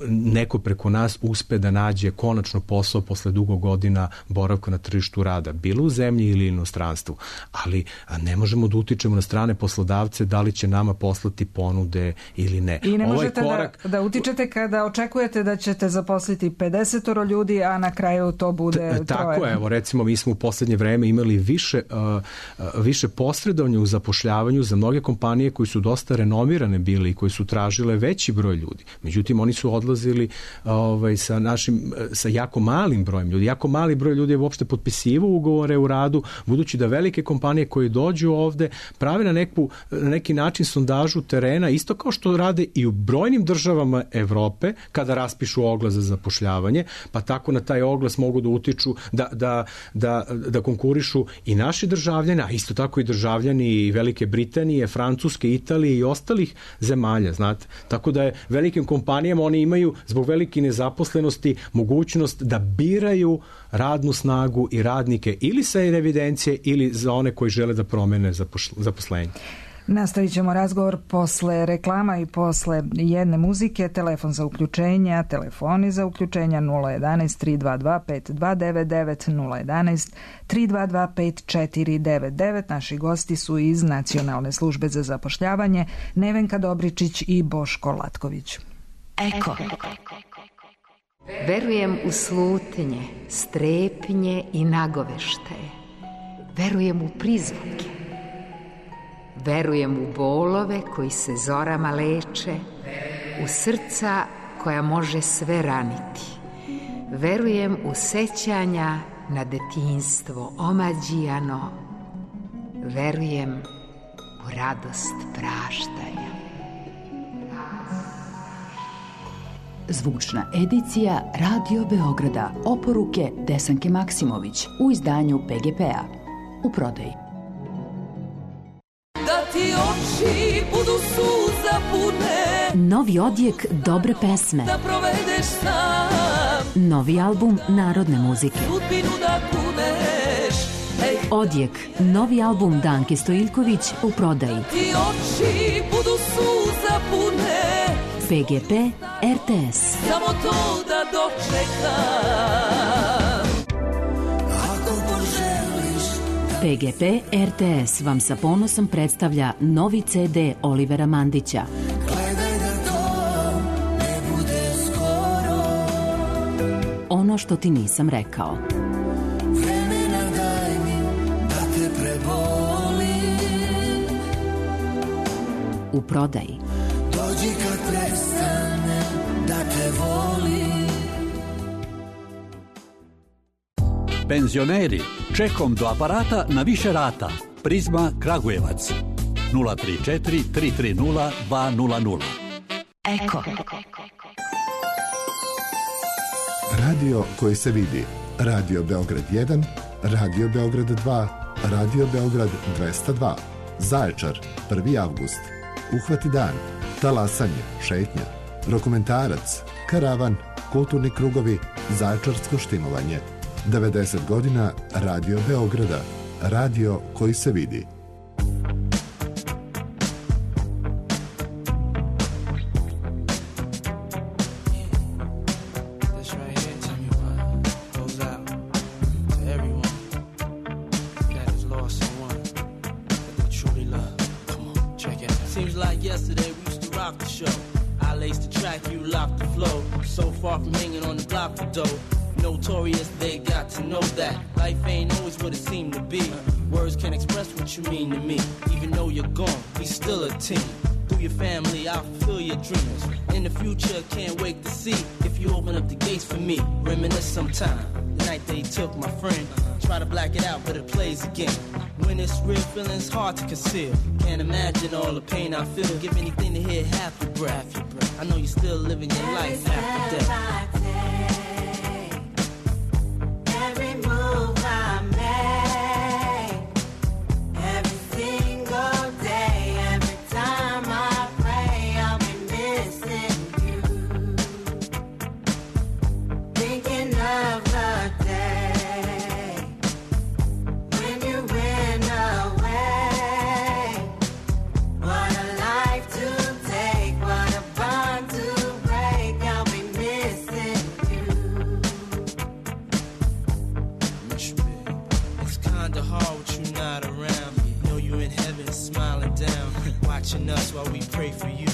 neko preko nas uspe da nađe konačno posao posle dugo godina boravka na tržištu rada, bilo u zemlji ili inostranstvu, ali ne možemo da utičemo na strane poslodavce da li će nama poslati ponude ili ne. I ne možete da utičete kada očekujete da ćete zaposliti 50 ljudi, a na kraju to bude troje. Tako, evo, recimo mi smo u poslednje vreme imali više posredovanja u zapošljavanju za mnoge kompanije koji su dosta renomirane bili i koji su tražile veći broj ljudi. Međutim, oni su odlazili sa jako malim brojem ljudi. Jako mali broj ljudi je uopšte potpisivao ugovore u radu, budući da velike kompanije koje dođu ovde prave na neki način sondažu terena, isto kao što rade i u brojnim državama Evrope kada raspišu oglas za zapošljavanje, pa tako na taj oglas mogu da utiču da konkurišu i naši državljani, a isto tako i državljani i Velike Britanije, Francuske, Italije i ostalih zemalja, znate. Tako da je velikim kompanijama, oni imaju zbog velike nezaposlenosti mogućnost da biraju radnu snagu i radnike ili sa evidencije ili za one koji žele da promene zaposlenje. Nastavit ćemo razgovor posle reklama i posle jedne muzike. Telefon za uključenja, telefoni za uključenja 011 322 5299, 011 322 5499. Naši gosti su iz Nacionalne službe za zapošljavanje Nevenka Dobričić i Boško Latković. Eko. Verujem u slutnje, strepnje i nagoveštaje. Verujem u prizvuke. Verujem u bolove koji se zorama leče, u srca koja može sve raniti. Verujem u sećanja na detinjstvo omađijano. Verujem u radost praštanja. Zvučna edicija Radio Beograda. Oporuke Desanke Maksimović u izdanju PGP-a. U prodaji. Da ti oči budu suza pune. Novi odjek dobre pesme. Da provedeš sam. Novi album narodne muzike. Sudbinu da kuneš. Odjek, novi album Danke Stojiljković u prodaji. Ti oči budu suza pune. PGP, RTS. Samo to da dočekam. Ako poželiš. PGP RTS vam sa ponosom predstavlja novi CD Olivera Mandića. Gledaj da to ne bude skoro. Ono što ti nisam rekao. Vremena daj mi da te prebolim. U prodaji. Dođi kad prestane da te volim. Penzioneri, čekom do aparata na više rata. Prizma Kragujevac 034 330 200. Eko. Radio koji se vidi. Radio Beograd 1, Radio Beograd 2, Radio Beograd 202. Zaječar, 1. avgust. Uhvati dan. Talasanje, šetnja, dokumentarac, karavan, kulturni krugovi, zaječarsko štimovanje. 90 godina Radio Beograda. Radio koji se vidi. Notorious, they got to know that life ain't always what it seemed to be. Words can't express what you mean to me. Even though you're gone, we still a team. Through your family, I'll fulfill your dreams. In the future, can't wait to see if you open up the gates for me. Reminisce sometime. The night they took my friend. Try to black it out, but it plays again. When it's real, feeling's hard to conceal. Can't imagine all the pain I feel. Give anything to hear half your breath. I know you're still living your life after death. Us while we pray for you.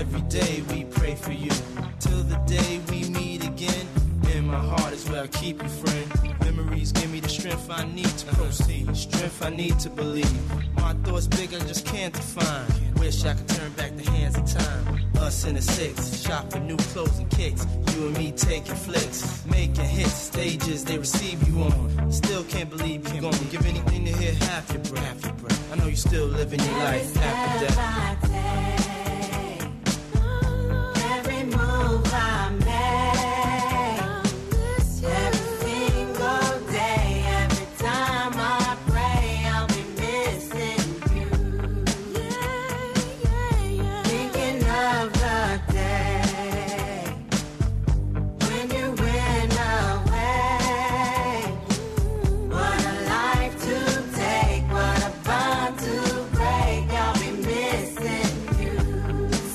Every day we pray for you. Till the day we meet again. In my heart is where I keep you, friend. Memories give me the strength I need to proceed. Strength I need to believe. My thoughts big, I just can't define. wish I could turn back the hands of time. Us in the six, shop for new clothes and kicks. You and me taking flicks, making hits, stages they receive you on. Still can't believe you gone. Give anything to hear half your breath. I know you still living your life after death. Every move I make, every single day, every time I pray, I'll be missing you. Thinking of the day when you went away. What a life to take, what a bond to break. I'll be missing you.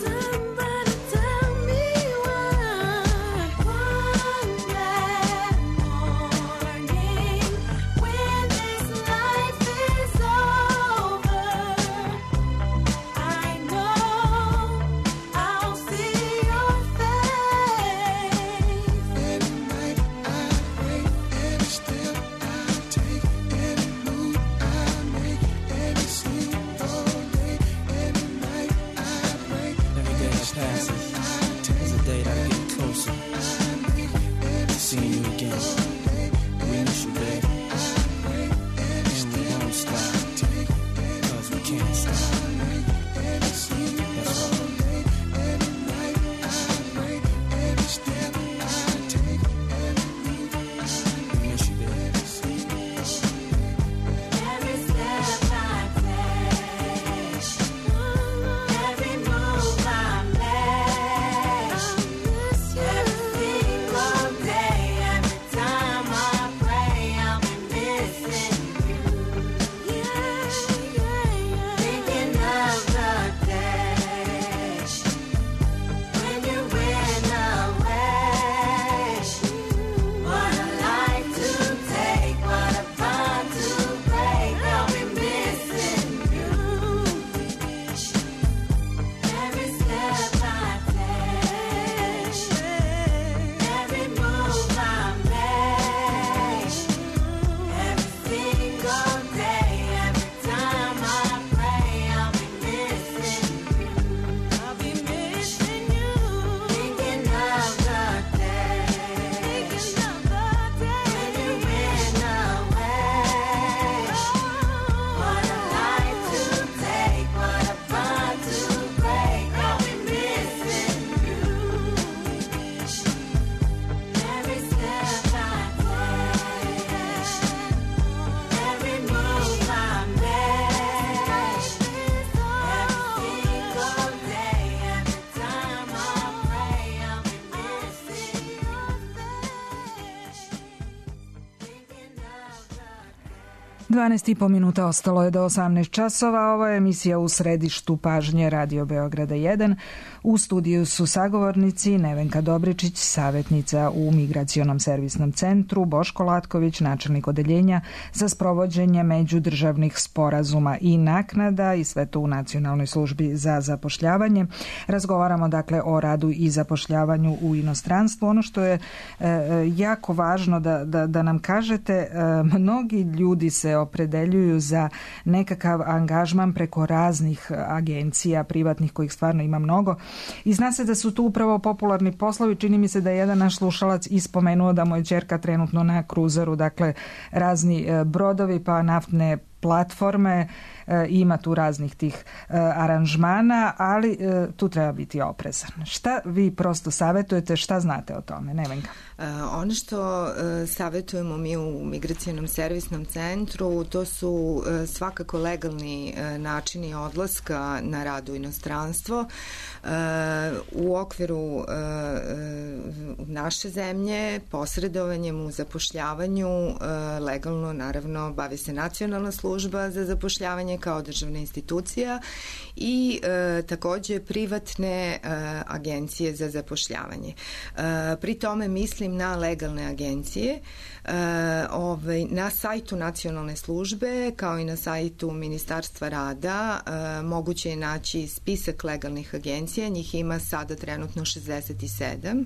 Somebody tell me why. One bad morning, when this life is over, I know I'll see your face. Every night I pray, every step I take, every move I make, every single day, every night I pray. Every day that passes is a day that I get closer. Seeing you again. We miss you, babe. And we won't stop. Cause we can't stop. That's all. Every night I pray, every step I take, every move We miss you, babe. Every step I take, every move I make, every single day, every time I pray, I'll be missing you. Thinking of the day when you went away. What a life to take, what a bond to break. I'll be missing you. Every step I take, every move I make, every single day, every time I pray, I'll be missing you. I'll be missing you. Thinking of the day, when you went away. What a life to take, what a bond to break. I'll be missing you. Every step I take, every move I make, every single day, every time I pray, I'll be missing your face. Thinking of the 12,5 minuta ostalo je do 18 časova. Ovo je emisija U središtu pažnje Radio Beograda 1. U studiju su sagovornici Nevenka Dobričić, savjetnica u Migracionom servisnom centru, Boško Latković, načelnik odeljenja za sprovođenje međudržavnih sporazuma i naknada, i sve to u Nacionalnoj službi za zapošljavanje. Razgovaramo dakle o radu i zapošljavanju u inostranstvu. Ono što je jako važno da nam kažete, mnogi ljudi se opredeljuju za nekakav angažman preko raznih agencija privatnih, kojih stvarno ima mnogo, i zna se da su tu upravo popularni poslovi. Čini mi se da je jedan naš slušalac ispomenuo da mu je ćerka trenutno na kruzeru, dakle razni brodovi pa naftne platforme, ima tu raznih tih aranžmana, ali tu treba biti oprezan. Šta vi prosto savjetujete, šta znate o tome, Nevenka? Ono što savjetujemo mi u Migracionom servisnom centru, to su svakako legalni načini odlaska na rad u inostranstvo. U okviru naše zemlje posredovanjem u zapošljavanju legalno, naravno, bavi se Nacionalna služba za zapošljavanje kao državna institucija i takođe privatne agencije za zapošljavanje. Pri tome mislim na legalne agencije Na sajtu nacionalne službe kao i na sajtu Ministarstva rada moguće je naći spisak legalnih agencija, njih ima sada trenutno 67.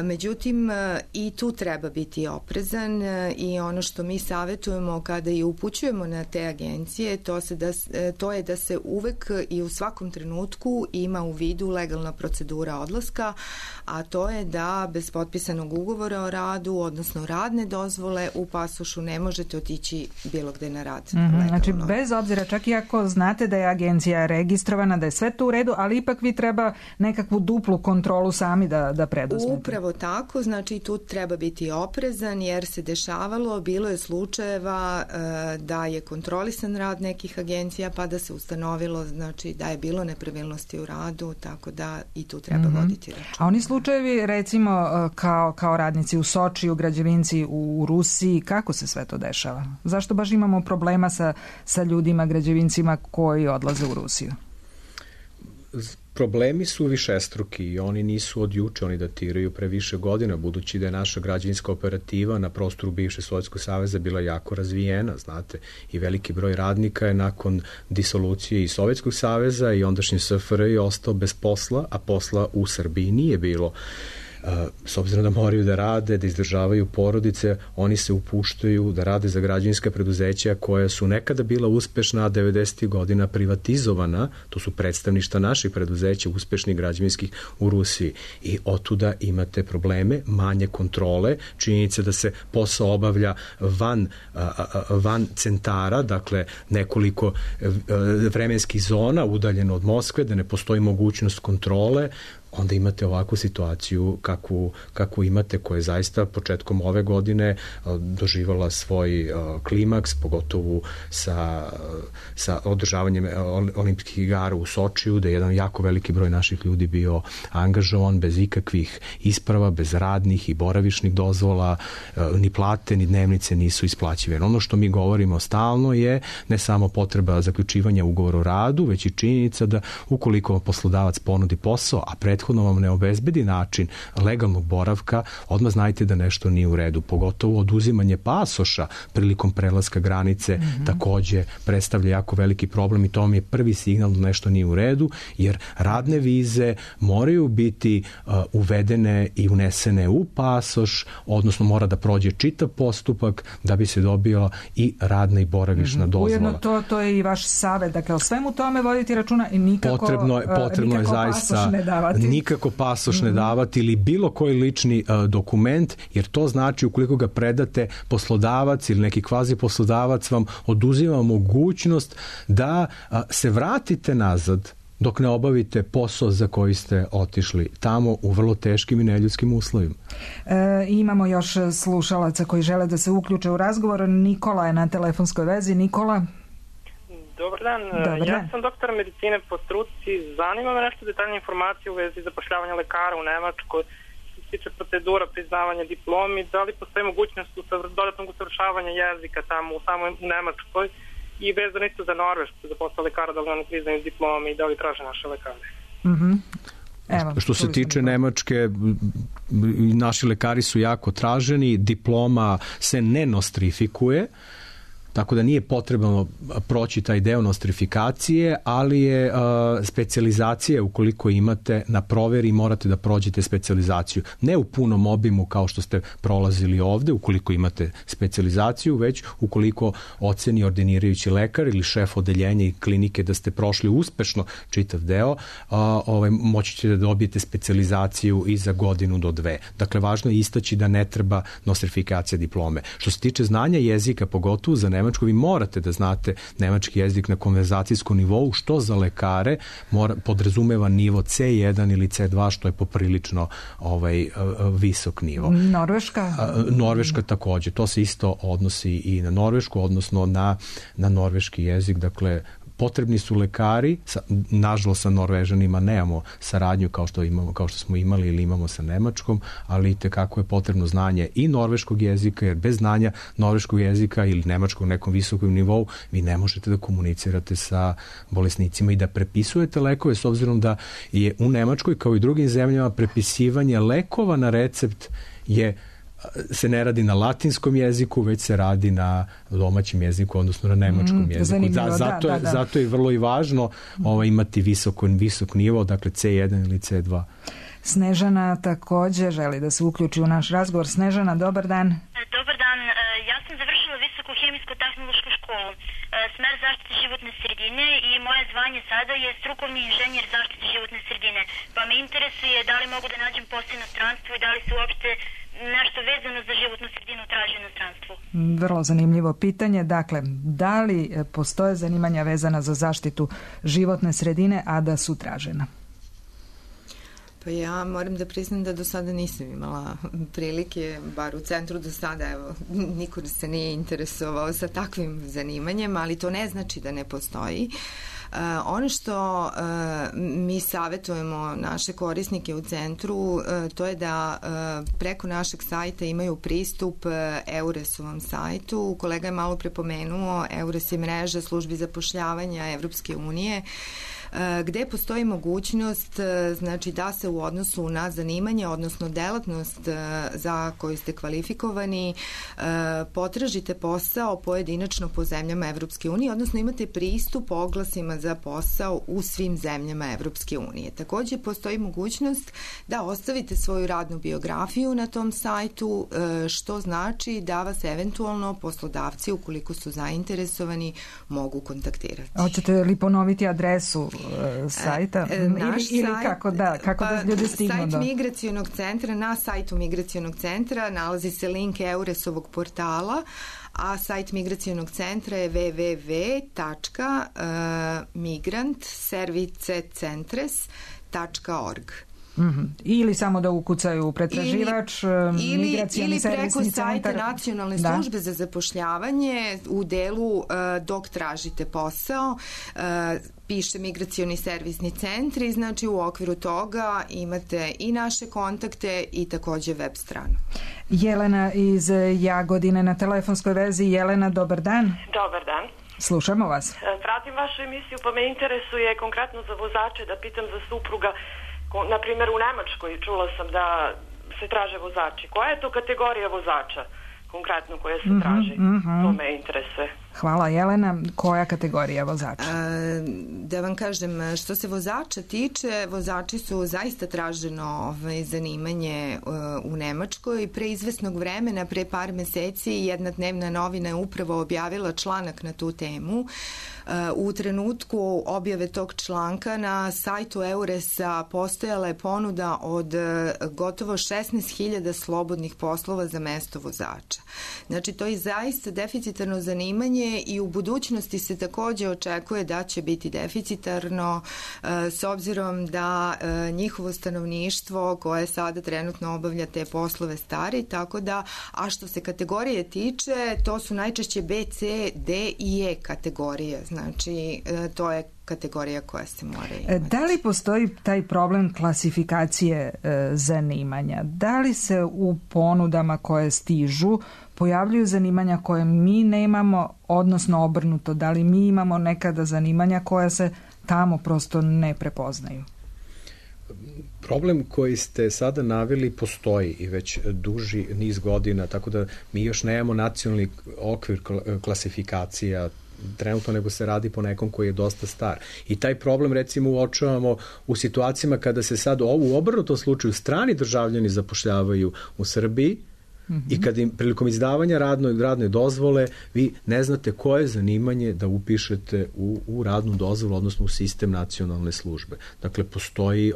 Međutim, i tu treba biti oprezan i ono što mi savjetujemo kada i upućujemo na te agencije, to je da se uvek i u svakom trenutku ima u vidu legalna procedura odlaska, a to je da bez potpisanog ugovora o radu, odnosno radne dozvole u pasošu ne možete otići bilo gde na rad. Znači, bez obzira, čak i ako znate da je agencija registrovana, da je sve to u redu, ali ipak vi treba nekakvu duplu kontrolu sami da preduzmete. Upravo tako, znači tu treba biti oprezan jer se dešavalo, bilo je slučajeva da je kontrolisan rad nekih agencija pa da se ustanovilo znači da je bilo nepravilnosti u radu, tako da i tu treba voditi račun. A oni slučajevi recimo kao radnici u Sočiju, građevinci u Rusiji, kako se sve to dešava? Zašto baš imamo problema sa ljudima, građevincima koji odlaze u Rusiju? Problemi su višestruki i oni nisu od juče, oni datiraju pre više godina, budući da je naša građevinska operativa na prostoru bivše Sovjetskog saveza bila jako razvijena, znate, i veliki broj radnika je nakon disolucije i Sovjetskog saveza i ondašnje SFRJ ostao bez posla, a posla u Srbiji nije bilo. S obzirom da moraju da rade, da izdržavaju porodice, oni se upuštaju da rade za građevinska preduzeća koja su nekada bila uspešna, a 90. godina privatizovana, to su predstavništa naših preduzeća, uspešnih građevinskih u Rusiji. I otuda imate probleme, manje kontrole, činjenica da se posao obavlja van centara, dakle nekoliko vremenskih zona udaljeno od Moskve, da ne postoji mogućnost kontrole, onda imate ovakvu situaciju kakvu imate, koja je zaista početkom ove godine doživala svoj klimaks, pogotovo sa održavanjem olimpijskih igara u Sočiju, da je jedan jako veliki broj naših ljudi bio angažovan bez ikakvih isprava, bez radnih i boravišnih dozvola, ni plate, ni dnevnice nisu isplaćivane. Ono što mi govorimo stalno je ne samo potreba zaključivanja ugovora o radu, već i činjenica da ukoliko poslodavac ponudi posao, a prethodno vam ne obezbedi način legalnog boravka, odmah znajte da nešto nije u redu. Pogotovo oduzimanje pasoša prilikom prelaska granice takođe predstavlja jako veliki problem i to mi je prvi signal da nešto nije u redu, jer radne vize moraju biti uvedene i unesene u pasoš, odnosno mora da prođe čitav postupak da bi se dobila i radna i boravišna dozvola. Ujedno to je i vaš savet, dakle o svemu tome voditi računa i nikako je zaista pasoš ne davati. Nikako pasoš ne davati ili bilo koji lični dokument, jer to znači ukoliko ga predate, poslodavac ili neki kvazi poslodavac vam oduzima mogućnost da se vratite nazad dok ne obavite posao za koji ste otišli tamo u vrlo teškim i neljudskim uslovima. Imamo još slušalaca koji žele da se uključe u razgovor. Nikola je na telefonskoj vezi. Nikola? Dobar dan. Ja sam doktor medicine po struci. Zanima me nešto detaljne informacije u vezi zapošljavanja lekara u Nemačkoj. Što se tiče procedura priznavanja diplomi, da li postoji mogućnost dodatnog usavršavanja jezika tamo u samoj Nemačkoj i vezano isto za Norvešku, za posao lekara, da li oni priznaju diplomi i da li traže naše lekare. Što se tiče Nemačke, naši lekari su jako traženi, diploma se ne nostrifikuje, tako da nije potrebno proći taj deo nostrifikacije, ali je specijalizacija ukoliko imate na proveri morate da prođete specijalizaciju. Ne u punom obimu kao što ste prolazili ovde, ukoliko imate specijalizaciju, već ukoliko oceni ordinirajući lekar ili šef odeljenja i klinike da ste prošli uspešno čitav deo, moći ćete da dobijete specijalizaciju i za godinu do 2. Dakle, važno je istaći da ne treba nostrifikacija diplome. Što se tiče znanja jezika, pogotovo za Nemačku, vi morate da znate nemački jezik na konverzacijskom nivou, što za lekare podrazumeva nivo C1 ili C2, što je poprilično visok nivo. Norveška takođe. To se isto odnosi i na Norvešku, odnosno na norveški jezik. Dakle, potrebni su lekari, nažalost sa Norvežanima nemamo saradnju kao što smo imali ili imamo sa Nemačkom, ali itekako je potrebno znanje i norveškog jezika, jer bez znanja norveškog jezika ili nemačkog u nekom visokom nivou vi ne možete da komunicirate sa bolesnicima i da prepisujete lekove, s obzirom da je u Nemačkoj kao i drugim zemljama prepisivanje lekova na recept je se ne radi na latinskom jeziku, već se radi na domaćem jeziku, odnosno na nemačkom jeziku. Zato je vrlo i važno imati visok nivo, dakle C1 ili C2. Snežana takođe želi da se uključi u naš razgovor. Snežana, dobar dan. Dobar dan, ja sam završila visoku hemijsko-tehnološku školu, smer zaštite životne sredine i moje zvanje sada je strukovni inženjer zaštite životne sredine. Pa me interesuje da li mogu da nađem posao u inostranstvu i da li se uopšte nešto vezano za životnu sredinu traži u inostranstvu. Vrlo zanimljivo pitanje. Dakle, da li postoje zanimanja vezana za zaštitu životne sredine, a da su tražena? Pa ja moram da priznam da do sada nisam imala prilike, bar u centru do sada, evo, niko se nije interesovao sa takvim zanimanjem, ali to ne znači da ne postoji. Ono što mi savjetujemo naše korisnike u centru, to je da preko našeg sajta imaju pristup EURES-ovom sajtu. Kolega je malo prepomenuo, EURES je mreža službi zapošljavanja Evropske unije, gde postoji mogućnost, znači, da se u odnosu na zanimanje, odnosno delatnost za koju ste kvalifikovani, potražite posao pojedinačno po zemljama Evropske unije, odnosno imate pristup oglasima za posao u svim zemljama Evropske unije. Takođe postoji mogućnost da ostavite svoju radnu biografiju na tom sajtu, što znači da vas eventualno poslodavci, ukoliko su zainteresovani, mogu kontaktirati. Hoćete li ponoviti adresu sajta? Ili kako da ljudi stignu do... Sajt Migracionog centra, na sajtu Migracionog centra nalazi se link EURES-ovog portala, a sajt Migracionog centra je www.migrantservicecentres.org. Ili samo da ukucaju u pretraživač migracioni servisni centar. Ili preko sajta Nacionalne službe za zapošljavanje u delu dok tražite posao piše migracioni servisni centri, znači u okviru toga imate i naše kontakte i takođe web stranu. Jelena iz Jagodine na telefonskoj vezi. Jelena, dobar dan. Dobar dan. Slušamo vas. Pratim vašu emisiju, pa me interesuje konkretno za vozače, da pitam za supruga. Na primjer, u Nemačkoj čula sam da se traže vozači. Koja je to kategorija vozača konkretno koja se traži? To me interesuje. Hvala, Jelena. Koja kategorija vozača? Da vam kažem, što se vozača tiče, vozači su zaista traženo zanimanje u Nemačkoj. Pre izvesnog vremena, pre par meseci, jedna dnevna novina je upravo objavila članak na tu temu. U trenutku objave tog članka na sajtu EURES-a postojala je ponuda od gotovo 16.000 slobodnih poslova za mesto vozača. Znači, to je zaista deficitarno zanimanje i u budućnosti se takođe očekuje da će biti deficitarno s obzirom da njihovo stanovništvo koje sada trenutno obavlja te poslove stari, tako da, a što se kategorije tiče, to su najčešće B, C, D i E kategorije. Znači, to je kategorija koja se mora imati. Da li postoji taj problem klasifikacije zanimanja? Da li se u ponudama koje stižu pojavljuju zanimanja koje mi nemamo, odnosno obrnuto? Da li mi imamo nekada zanimanja koja se tamo prosto ne prepoznaju? Problem koji ste sada naveli postoji i već duži niz godina, tako da mi još nemamo nacionalni okvir klasifikacija trenutno, nego se radi po nekom koji je dosta star. I taj problem, recimo, uočavamo u situacijama kada se sad u obrnutom slučaju strani državljani zapošljavaju u Srbiji i kada im prilikom izdavanja radne dozvole vi ne znate koje zanimanje da upišete u radnu dozvolu, odnosno u sistem nacionalne službe. Dakle, postoji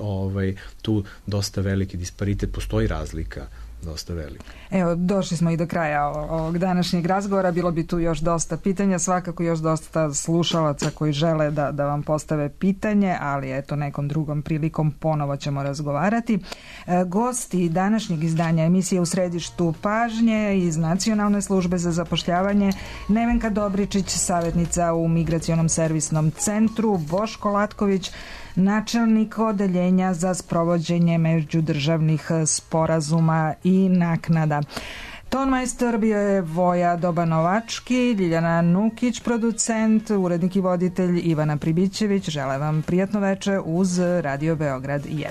tu dosta veliki disparitet, postoji razlika dosta velika. Evo, došli smo i do kraja ovog današnjeg razgovora. Bilo bi tu još dosta pitanja, svakako još dosta slušalaca koji žele da vam postave pitanje, ali eto, nekom drugom prilikom ponovo ćemo razgovarati. Gosti današnjeg izdanja emisije U središtu pažnje iz Nacionalne službe za zapošljavanje: Nevenka Dobričić, savjetnica u Migracionom servisnom centru, Boško Latković, načelnik odeljenja za sprovođenje međudržavnih sporazuma i naknada. Tonmajstor bio je Voja Dobanovački, Ljiljana Nukić, producent, urednik i voditelj Ivana Pribićević. Želim vam prijatno veče uz Radio Beograd 1.